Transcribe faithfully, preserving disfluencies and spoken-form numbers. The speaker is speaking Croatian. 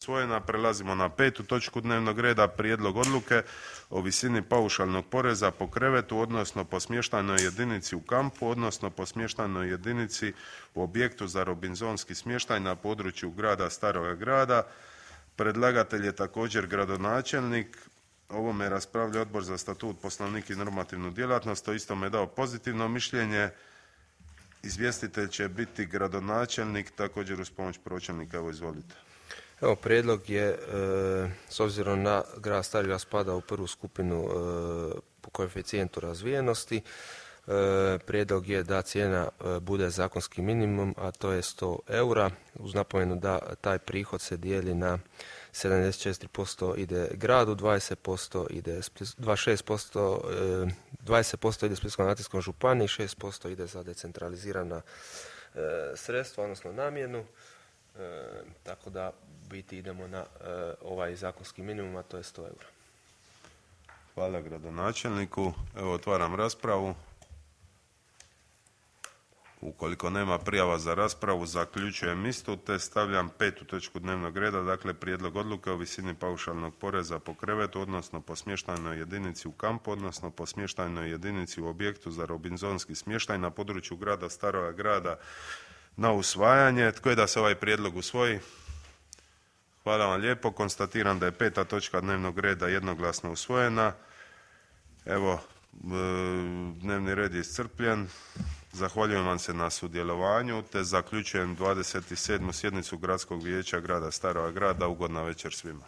usvojena. Prelazimo na petu točku dnevnog reda, prijedlog odluke o visini paušalnog poreza po krevetu, odnosno po smještajnoj jedinici u kampu, odnosno po smještajnoj jedinici u objektu za robinzonski smještaj na području grada Staroga Grada. Predlagatelj je također gradonačelnik. Ovome raspravlja Odbor za statut, poslovnik i normativnu djelatnost. O istom je dao pozitivno mišljenje. Izvjestitelj će biti gradonačelnik, također uz pomoć pročelnika. Evo, izvolite. Evo, prijedlog je, e, s obzirom na grad Stari Grad spada u prvu skupinu e, po koeficijentu razvijenosti, e, prijedlog je da cijena e, bude zakonski minimum, a to je sto eura, uz napomenu da taj prihod se dijeli na sedamdeset četiri posto ide gradu, dvadeset posto ide, dvadeset šest posto, e, dvadeset posto ide Splitsko-dalmatinskoj županiji, šest posto ide za decentralizirana e, sredstva, odnosno namjenu. E, tako da biti idemo na e, ovaj zakonski minimum, a to je sto eura. Hvala gradonačelniku. Evo, otvaram raspravu. Ukoliko nema prijava za raspravu, zaključujem istu te stavljam petu točku dnevnog reda, dakle prijedlog odluke o visini paušalnog poreza po krevetu, odnosno po smještajnoj jedinici u kampu, odnosno po smještajnoj jedinici u objektu za robinzonski smještaj na području grada Staroga Grada na usvajanje. Tko je da se ovaj prijedlog usvoji? Hvala vam lijepo. Konstatiram da je peta točka dnevnog reda jednoglasno usvojena. Evo, dnevni red je iscrpljen. Zahvaljujem vam se na sudjelovanju te zaključujem dvadeset sedmu sjednicu Gradskog vijeća grada Staroga Grada. Ugodna večer svima.